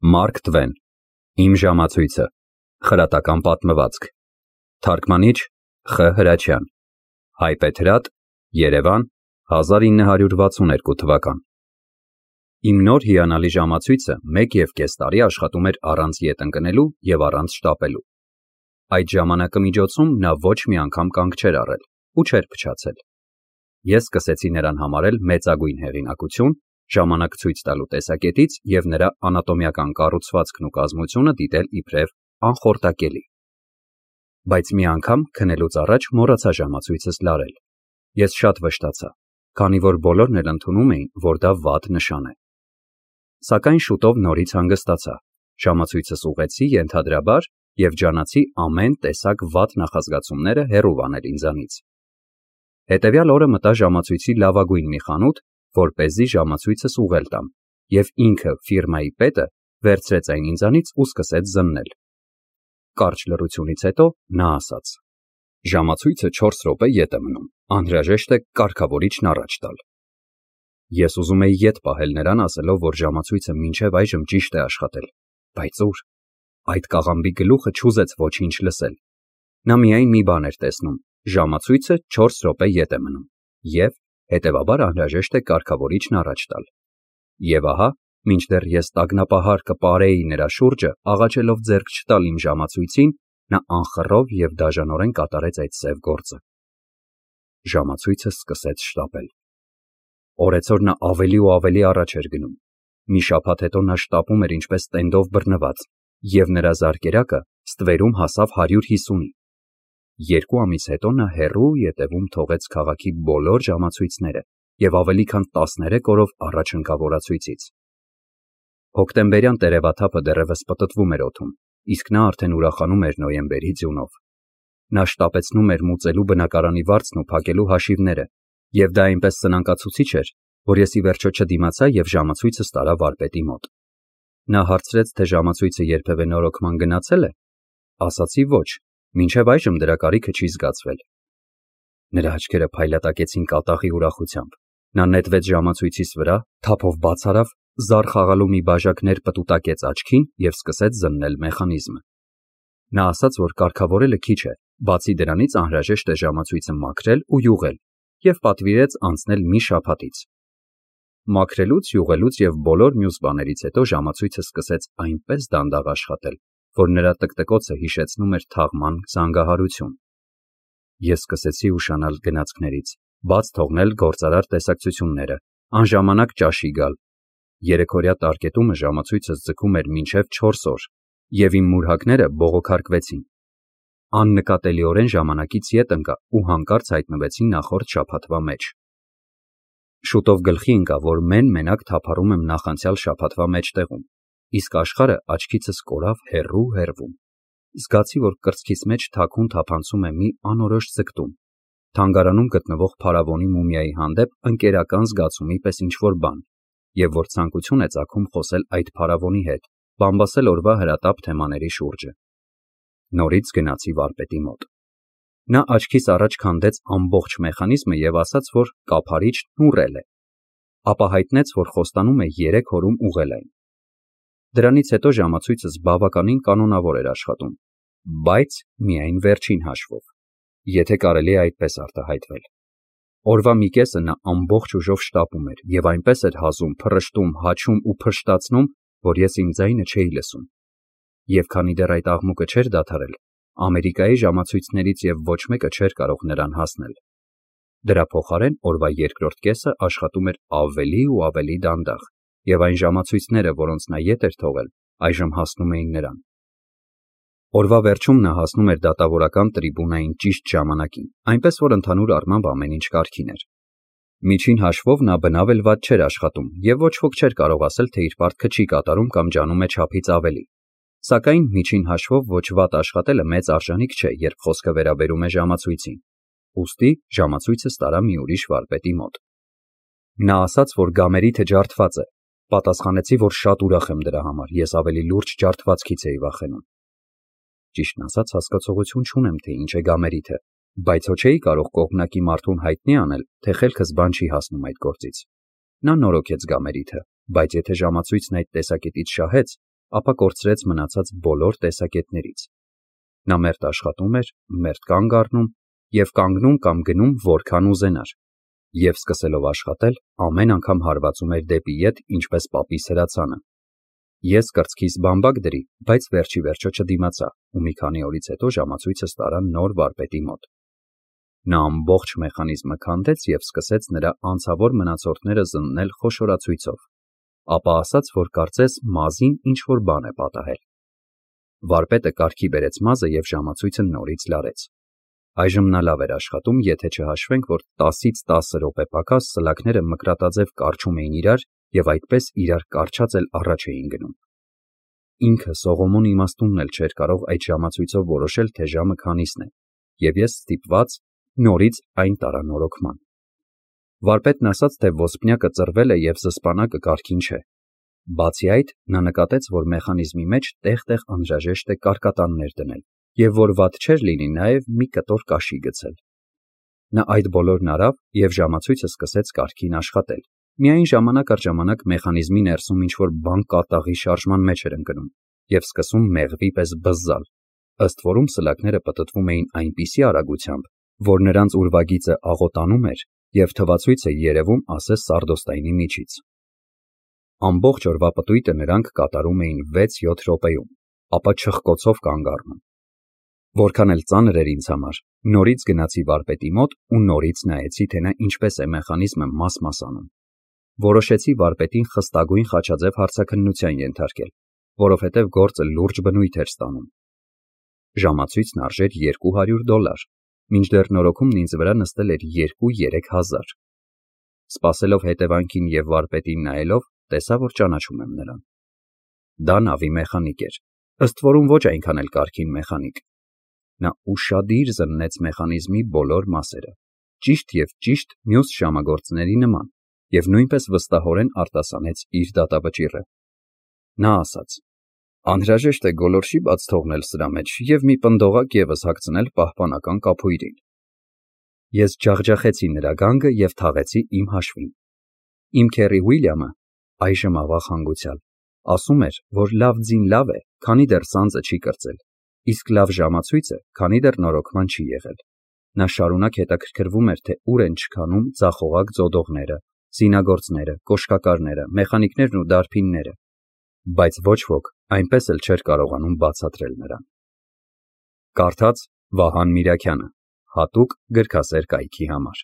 Մարկ Տվեն, Իմ ժամացույցը, խրատական պատմվածք, թարգմանիչ Խ. Հրաչյան, Հայպեթրատ, Երևան, 1962 թվական։ Իմ նոր հիանալի ժամացույցը 1.5 տարի աշխատում էր առանց ետ ընկնելու և առանց շտապելու։ Այդ ժամանակը միջոցում նա ոչ մի անգամ կանգ չէր առել ու չէր փչացել։ Ես սկսեցի նրան համարել մեծագույն հեղինակություն, ժամանակ ցույց տալու տեսակետից և նրա անատոմիական կառուցվածքն ու կազմությունը դիտել իբրև անխորտակելի։ Բայց մի անգամ քնելուց առաջ մոռացա ժամացույցս լարել։ Ես շատ վշտացա, քանի որ բոլորն էլ ընդունում էին, որ դա վատ նշան է։ Սակայն շուտով նորից հանգստացա, ժամացույցս ուղղեցի ենթադրաբար և ջանացի ամեն տեսակ վատ նախազգացումները հեռու անել ինձանից։ Հետևյալ օրը մտա ժամացույցի լավագույն մի խանութ, որպեսզի ժամացույցս ուղղել տամ, և ինքը ֆիրմայի պետը վերցրեց այն ինձանից ու սկսեց զննել։ Կարճ լռությունից հետո նա ասաց. «Ժամացույցը 4 րոպե ետ է մնում, անհրաժեշտ է կարգավորիչն առաջ տալ»։ Ես ուզում էի ետ պահել նրան, ասելով, որ ժամացույցը մինչև այժմ ճիշտ է աշխատել, բայց ուր։ Այդ կաղամբի գլուխը չուզեց ոչինչ լսել։ Նա միայն մի բան էր տեսնում. ժամացույցը 4 րոպե ետ է մնում, և, հետևաբար, անհրաժեշտ է կարգավորիչն առաջ տալ։ Եվ ահա, մինչդեռ ես տագնապահար կպարեի նրա շուրջը, աղաչելով ձեռք չտալ իմ ժամացույցին, նա անխռով և դաժանորեն կատարեց այդ սև գործը։ Ժամացույցը սկսեց շտապել։ Օրեցօր նա ավելի ու ավելի առաջ էր գնում։ Մի շաբաթ հետո նա շտապում էր ինչպես տենդով բռնված, և նրա զարկերակը ստվերում հասավ 150-ի։ 2 ամիս հետո նա հեռու ետևում թողեց քաղաքի բոլոր ժամացույցները և ավելի քան 13 օրով առաջ ընկավ օրացույցից։ Հոկտեմբերյան տերևաթափը դեռևս պտտվում էր օդում, իսկ նա արդեն ուրախանում էր նոյեմբերի ձյունով։ Նա շտապեցնում էր մուծելու բնակարանի վարձն ու փակելու հաշիվները, և դա այնպես սնանկացուցիչ էր, որ ես ի վերջո չդիմացա և ժամացույցս տարա վարպետի մոտ։ Նա հարցրեց, թե ժամացույցը երբևէ նորոգման գնացե՞լ է։ Ասացի ոչ, մինչև այժմ դրա կարիքը չի զգացվել։ Նրա աչքերը փայլատակեցին կատաղի ուրախությամբ։ Նա նետվեց ժամացույցիս վրա, թափով բաց արավ, զար խաղալու մի բաժակ ներպտուտակեց աչքին և սկսեց զննել մեխանիզմը։ Նա ասաց, որ կարգավորելը քիչ է, բացի դրանից անհրաժեշտ է ժամացույցը մաքրել ու յուղել, և պատվիրեց անցնել մի շաբաթից։ Մաքրելուց, յուղելուց և բոլոր մյուս բաներից հետո ժամացույցը սկսեց այնպես դանդաղ աշխատել, որ նրա տկտկոցը հիշեցնում էր թաղման զանգահարություն։ Ես սկսեցի ուշանալ գնացքներից, բաց թողնել գործարար տեսակցությունները, անժամանակ ճաշի գալ։ Երեկորյա տարկետումը ժամացույցս ձգում էր մինչև 4 օր, և իմ մուրհակները բողոքարկվեցին։ Աննկատելիորեն ժամանակից ետ ընկա ու հանկարծ հայտնվեցի նախորդ շաբաթվա մեջ։ Շուտով գլխի ընկավ, որ մեն-մենակ թափառում եմ նախանցյալ շաբաթվա մեջտեղում, իսկ աշխարհը աչքիցս կորավ հեռու։ Զգացի, որ կրծքիս մեջ թաքուն թափանցում է մի անորոշ ձգտում, թանգարանում գտնվող փարավոնի մումիայի հանդեպ ընկերական զգացումի պես ինչ-որ բան, և որ ցանկություն է ծագում խոսել այդ փարավոնի հետ, բամբասել օրվա հրատապ թեմաների շուրջը։ Նորից գնացի վարպետի մոտ։ Նա աչքիս առաջ քանդեց ամբողջ մեխանիզմը և ասաց, որ կափարիչն ուռել է, ապա հայտնեց, որ խոստանում է 3 օրում ուղղել այն։ Դրանից հետո ժամացույցս բավականին կանոնավոր էր աշխատում, բայց միայն վերջին հաշվով, եթե կարելի է այդպես արտահայտվել։ Օրվա մի կեսը նա ամբողջ ուժով շտապում էր և այնպես էր հազում, փռշտում, հաչում ու փշտացնում, որ ես իմ ձայնը չէի լսում։ Եվ քանի դեռ այդ աղմուկը չէր դադարել, Ամերիկայի ժամացույցներից և ոչ մեկը չէր կարող նրան հասնել։ Դրա փոխարեն օրվա երկրորդ կեսը աշխատում էր ավելի ու ավելի դանդաղ, և այն ժամացույցները, որոնց նա ետ էր թողել, այժմ հասնում էին նրան։ Օրվա վերջում նա հասնում էր դատավորական տրիբունային ճիշտ ժամանակին, այնպես որ ընդհանուր առմամբ ամեն ինչ կարգին էր։ Միջին հաշվով նա բնավ էլ վատ չէր աշխատում, և ոչ ոք չէր կարող ասել, թե իր պարտքը չի կատարում կամ ջանում է չափից ավելի։ Սակայն միջին հաշվով ոչ վատ աշխատելը մեծ արժանիք չէ, երբ խոսքը վերաբերում է ժամացույցին։ Ուստի ժամացույցս տարա մի ուրիշ վարպետի մոտ։ Նա ասաց, որ գամերիթը ջարդված է։ Պատասխանեցի, որ շատ ուրախ եմ դրա համար, ես ավելի լուրջ ջարդվածքից էի վախենում։ Ճիշտն ասած, հասկացողություն չունեմ, թե ինչ է գամերիթը, բայց հո չէի կարող կողմնակի մարդուն հայտնի անել, թե խելքս բան չի հասնում այդ գործից։ Նա նորոգեց գամերիթը, բայց եթե ժամացույցն այդ տեսակետից շահեց, ապա կորցրեց մնացած բոլոր տեսակետներից։ Նա մերթ աշխատում էր, մերթ կանգ առնում և կանգնում կամ գնում որքան ուզենար, և սկսելով աշխատել, ամեն անգամ հարվածում էր դեպի ետ, ինչպես պապի սրացանը։ Ես կրծքիս բամբակ դրի, բայց վերջիվերջո չդիմացա ու մի քանի օրից հետո ժամացույցս տարա նոր վարպետի մոտ։ Նա ամբողջ մեխանիզմը քանդեց և սկսեց նրա անցավոր մնացորդները զննել խոշորացույցով, ապա ասաց, որ կարծես մազին ինչ-որ բան է պատահել։ Վարպետը կարգի բերեց մազը և ժամացույցը նորից լարեց։ Այժմ նա լավ էր աշխատում, եթե չհաշվենք, որ 10-ից 10 րոպե պակաս սլաքները մկրատաձև կառչում էին իրար և այդպես իրար կառչած էլ առաջ էին գնում։ Ինքը Սողոմոն իմաստունն էլ չէր կարող այդ ժամացույցով որոշել, թե ժամը քանիսն է, և ես ստիպված նորից այն տարա նորոգման։ Վարպետն ասաց, թե ոսպնյակը ծռվել է և զսպանակը կարգին չէ։ Բացի այդ, նա նկատեց, որ մեխանիզմի մեջ տեղ-տեղ անհրաժեշտ է կարկատաններ դնել, և որ վատ չէր լինի նաև մի կտոր կաշի գցել։ Նա այդ բոլորն արավ և ժամացույցը սկսեց կարգին աշխատել, միայն ժամանակ առ ժամանակ մեխանիզմի ներսում ինչ-որ բան կատաղի շարժման մեջ էր ընկնում և սկսում մեղվի պես բզզալ, ըստ որում սլաքները պտտվում էին այնպիսի արագությամբ, որ նրանց ուրվագիծը աղոտանում էր և թվացույցը երևում ասես սարդոստայնի միջից։ Ամբողջ օրվա պտույտը նրանք կատարում էին 6-7 րոպեում, ապա չխկոցով կանգ առնում։ Որքան էլ ծանր էր ինձ համար, նորից գնացի վարպետի մոտ ու նորից նայեցի, թե նա ինչպես է մեխանիզմը մաս-մաս անում։ Որոշեցի վարպետին խստագույն խաչաձև հարցաքննության ենթարկել, որովհետև գործը լուրջ բնույթ էր ստանում։ Ժամացույցն արժեր $200, մինչդեռ նորոգումն ինձ վրա նստել էր 2-3 հազար։ Սպասելով հետևանքին և վարպետին նայելով, տեսա, որ ճանաչում եմ նրան։ Դա նավի մեխանիկ էր, ըստ որում ոչ այնքան էլ կարգին մեխանիկ։ Նա ուշադիր զննեց մեխանիզմի բոլոր մասերը, ճիշտ և ճիշտ մյուս ժամագործների նման, և նույնպես վստահորեն արտասանեց իր դատավճիռը։ Նա ասաց. «Անհրաժեշտ է գոլորշի բաց թողնել սրա մեջ և մի պնդողակ ևս հագցնել պահպանական կափույրին»։ Ես ջախջախեցի նրա գանգը և թաղեցի իմ հաշվին։ Իմ քեռի Ուիլյամը, այժմ ավաղ հանգուցյալ, ասում էր, որ լավ ձին լավ է, քանի դեռ սանձը չի կրծել, իսկ լավ ժամացույցը, քանի դեռ նորոգման չի եղել։ Նա շարունակ հետաքրքրվում էր, թե ուր են չքանում ձախողակ ձոդողները, զինագործները, կոշկակարները, մեխանիկներն ու դարբինները, բայց ոչ ոք այնպես էլ չէր կարողանում բացատրել նրան։ Կարդաց Վահան Միրաքյանը, հատուկ գրքասեր կայքի համար։